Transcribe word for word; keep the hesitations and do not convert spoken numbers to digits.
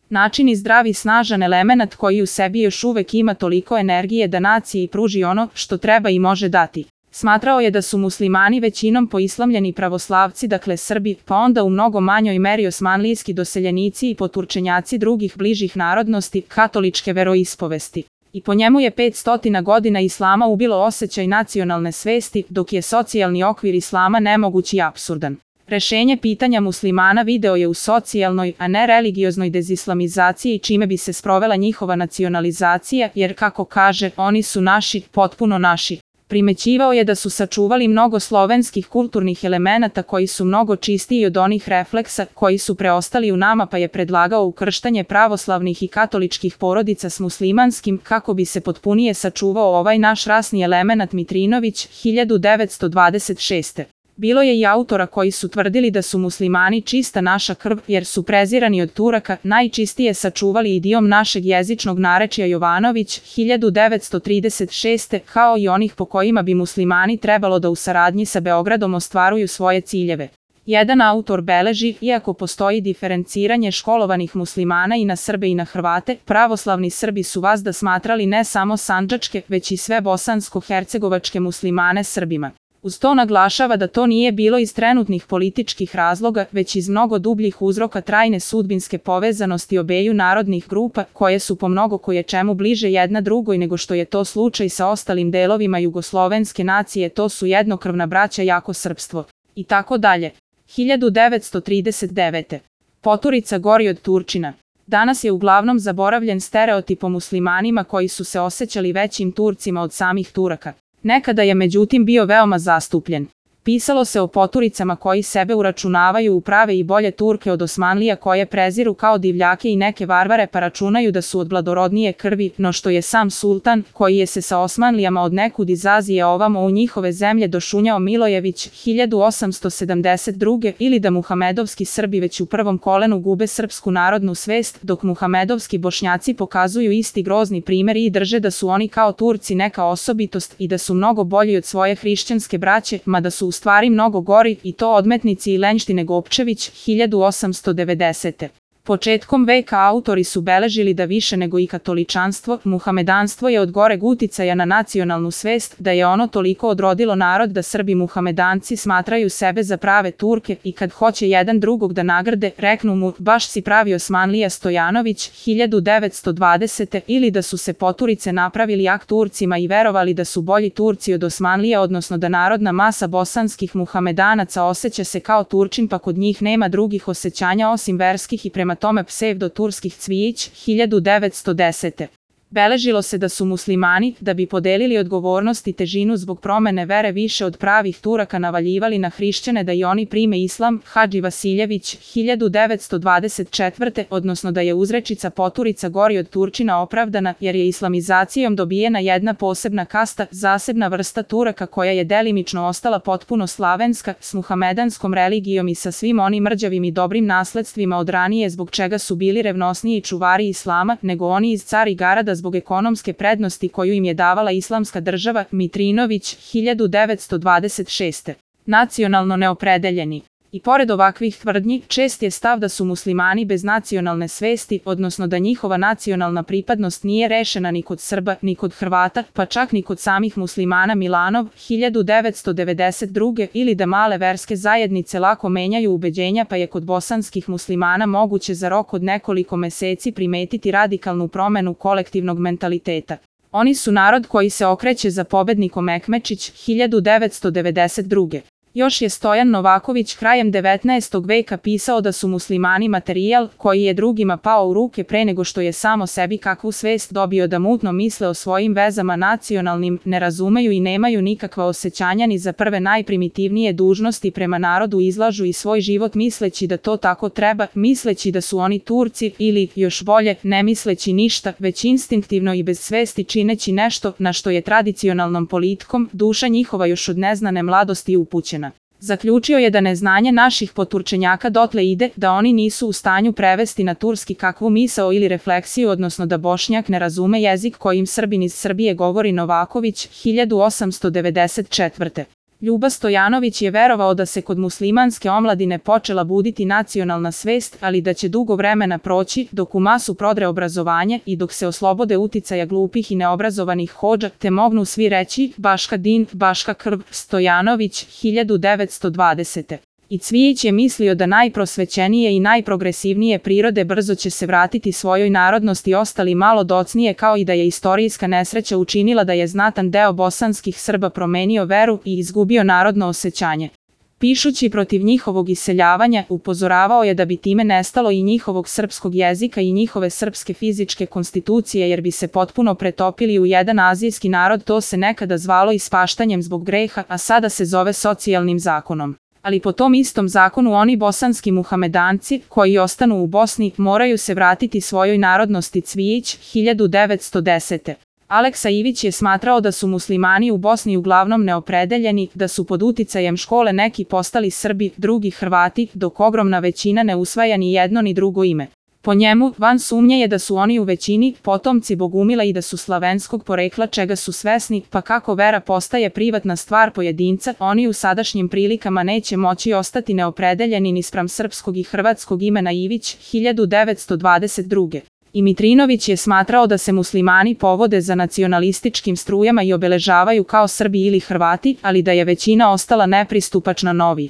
Način i zdravi snažan elemenat koji u sebi još uvek ima toliko energije da naciji pruži ono što treba i može dati. Smatrao je da su muslimani većinom poislamljeni pravoslavci, dakle Srbi, pa onda u mnogo manjoj meri osmanlijski doseljenici i poturčenjaci drugih bližih narodnosti, katoličke veroispovesti. I po njemu je petstotina godina islama ubilo osjećaj nacionalne svesti, dok je socijalni okvir islama nemoguć i apsurdan. Rešenje pitanja muslimana video je u socijalnoj, a ne religioznoj dezislamizaciji, čime bi se sprovela njihova nacionalizacija, jer, kako kaže, oni su naši, potpuno naši. Primećivao je da su sačuvali mnogo slovenskih kulturnih elemenata koji su mnogo čistiji od onih refleksa koji su preostali u nama, pa je predlagao ukrštanje pravoslavnih i katoličkih porodica s muslimanskim kako bi se potpunije sačuvao ovaj naš rasni elemenat. Mitrinović, hiljadu devetsto dvadeset šeste. Bilo je i autora koji su tvrdili da su muslimani čista naša krv, jer su prezirani od Turaka, najčistije sačuvali idiom našeg jezičnog narečja. Jovanović, hiljadu devetsto trideset šeste. Kao i onih po kojima bi muslimani trebalo da u saradnji sa Beogradom ostvaruju svoje ciljeve. Jedan autor beleži, iako postoji diferenciranje školovanih muslimana i na Srbe i na Hrvate, pravoslavni Srbi su vazda smatrali ne samo sandžačke, već i sve bosansko-hercegovačke muslimane Srbima. Uz to naglašava da to nije bilo iz trenutnih političkih razloga, već iz mnogo dubljih uzroka trajne sudbinske povezanosti obeju narodnih grupa, koje su po mnogo koje čemu bliže jedna drugoj nego što je to slučaj sa ostalim delovima jugoslovenske nacije, to su jednokrvna braća, jako srpstvo. I tako dalje. hiljadu devetsto trideset devete. Poturica gori od Turčina. Danas je uglavnom zaboravljen stereotip o muslimanima koji su se osjećali većim Turcima od samih Turaka. Nekada je međutim bio veoma zastupljen. Pisalo se o poturicama koji sebe uračunavaju u prave i bolje Turke od Osmanlija, koje preziru kao divljake i neke varvare, pa računaju da su od bladorodnije krvi, no što je sam sultan, koji je se sa Osmanlijama od nekud iz Azije ovamo u njihove zemlje došunjao, Milojević, hiljadu osamsto sedamdeset druge. Ili da muhamedovski Srbi već u prvom kolenu gube srpsku narodnu svest, dok muhamedovski Bošnjaci pokazuju isti grozni primer i drže da su oni kao Turci neka osobitost i da su mnogo bolji od svoje hrišćanske braće, mada su u stvari mnogo gori, i to odmetnici i lenjštine. Gopčević, hiljadu osamsto devedesete. Početkom veka autori su beležili da više nego i katoličanstvo, muhamedanstvo je od goreg uticaja na nacionalnu svest, da je ono toliko odrodilo narod da Srbi muhamedanci smatraju sebe za prave Turke i kad hoće jedan drugog da nagrade, reknu mu, baš si pravi Osmanlija. Stojanović, hiljadu devetsto dvadesete. Ili da su se poturice napravili jak Turcima i verovali da su bolji Turci od Osmanlija, odnosno da narodna masa bosanskih muhamedanaca osjeća se kao Turčin, pa kod njih nema drugih osjećanja osim verskih i prema tome psevdo-turskih. Cvijić, hiljadu devetsto desete. Beležilo se da su muslimani, da bi podelili odgovornost i težinu zbog promene vere više od pravih Turaka, navaljivali na hrišćane da i oni prime islam. Hadži Vasiljević, hiljadu devetsto dvadeset četvrte. Odnosno da je uzrečica poturica gori od Turčina opravdana, jer je islamizacijom dobijena jedna posebna kasta, zasebna vrsta Turaka koja je delimično ostala potpuno slavenska, s muhamedanskom religijom i sa svim onim mrđavim i dobrim nasledstvima od ranije, zbog čega su bili revnosniji čuvari islama nego oni iz Carigrada zbog ekonomske prednosti koju im je davala islamska država. Mitrinović, hiljadu devetsto dvadeset šeste. Nacionalno neopredeljeni. I pored ovakvih tvrdnji, čest je stav da su muslimani bez nacionalne svesti, odnosno da njihova nacionalna pripadnost nije rešena ni kod Srba, ni kod Hrvata, pa čak ni kod samih muslimana. Milanov, hiljadu devetsto devedeset druge. Ili da male verske zajednice lako menjaju ubeđenja, pa je kod bosanskih muslimana moguće za rok od nekoliko meseci primetiti radikalnu promenu kolektivnog mentaliteta. Oni su narod koji se okreće za pobednikom. Mekmečić, hiljadu devetsto devedeset druge. Još je Stojan Novaković krajem devetnaestog veka pisao da su muslimani materijal koji je drugima pao u ruke pre nego što je samo sebi kakvu svest dobio, da mutno misle o svojim vezama nacionalnim, ne razumeju i nemaju nikakva osjećanja ni za prve najprimitivnije dužnosti prema narodu, izlažu i svoj život misleći da to tako treba, misleći da su oni Turci, ili, još bolje, ne misleći ništa, već instinktivno i bez svesti čineći nešto na što je tradicionalnom politikom duša njihova još od neznane mladosti upućena. Zaključio je da neznanje naših poturčenjaka dotle ide da oni nisu u stanju prevesti na turski kakvu misao ili refleksiju, odnosno da Bošnjak ne razume jezik kojim Srbin iz Srbije govori. Novaković, hiljadu osamsto devedeset četvrte. Ljuba Stojanović je verovao da se kod muslimanske omladine počela buditi nacionalna svest, ali da će dugo vremena proći dok u masu prodre obrazovanje i dok se oslobode uticaja glupih i neobrazovanih hodža, te mognu svi reći Baška din, Baška krv, Stojanović, hiljadu devetsto dvadesete. I Cvijić je mislio da najprosvećenije i najprogresivnije prirode brzo će se vratiti svojoj narodnosti ostali malo docnije, kao i da je istorijska nesreća učinila da je znatan deo bosanskih Srba promenio veru i izgubio narodno osjećanje. Pišući protiv njihovog iseljavanja, upozoravao je da bi time nestalo i njihovog srpskog jezika i njihove srpske fizičke konstitucije jer bi se potpuno pretopili u jedan azijski narod. To se nekada zvalo ispaštanjem zbog greha, a sada se zove socijalnim zakonom. Ali po tom istom zakonu oni bosanski muhamedanci, koji ostanu u Bosni, moraju se vratiti svojoj narodnosti. Cvijić, hiljadu devetsto desete. Aleksa Ivić je smatrao da su muslimani u Bosni uglavnom neopredeljeni, da su pod uticajem škole neki postali Srbi, drugi Hrvati, dok ogromna većina ne usvaja ni jedno ni drugo ime. Po njemu, van sumnje je da su oni u većini potomci bogumila i da su slavenskog porekla, čega su svesni, pa kako vera postaje privatna stvar pojedinca, oni u sadašnjim prilikama neće moći ostati neopredeljeni ni spram srpskog i hrvatskog imena Ivić, hiljadu devetsto dvadeset druge. I Mitrinović je smatrao da se muslimani povode za nacionalističkim strujama i obeležavaju kao Srbi ili Hrvati, ali da je većina ostala nepristupačna novi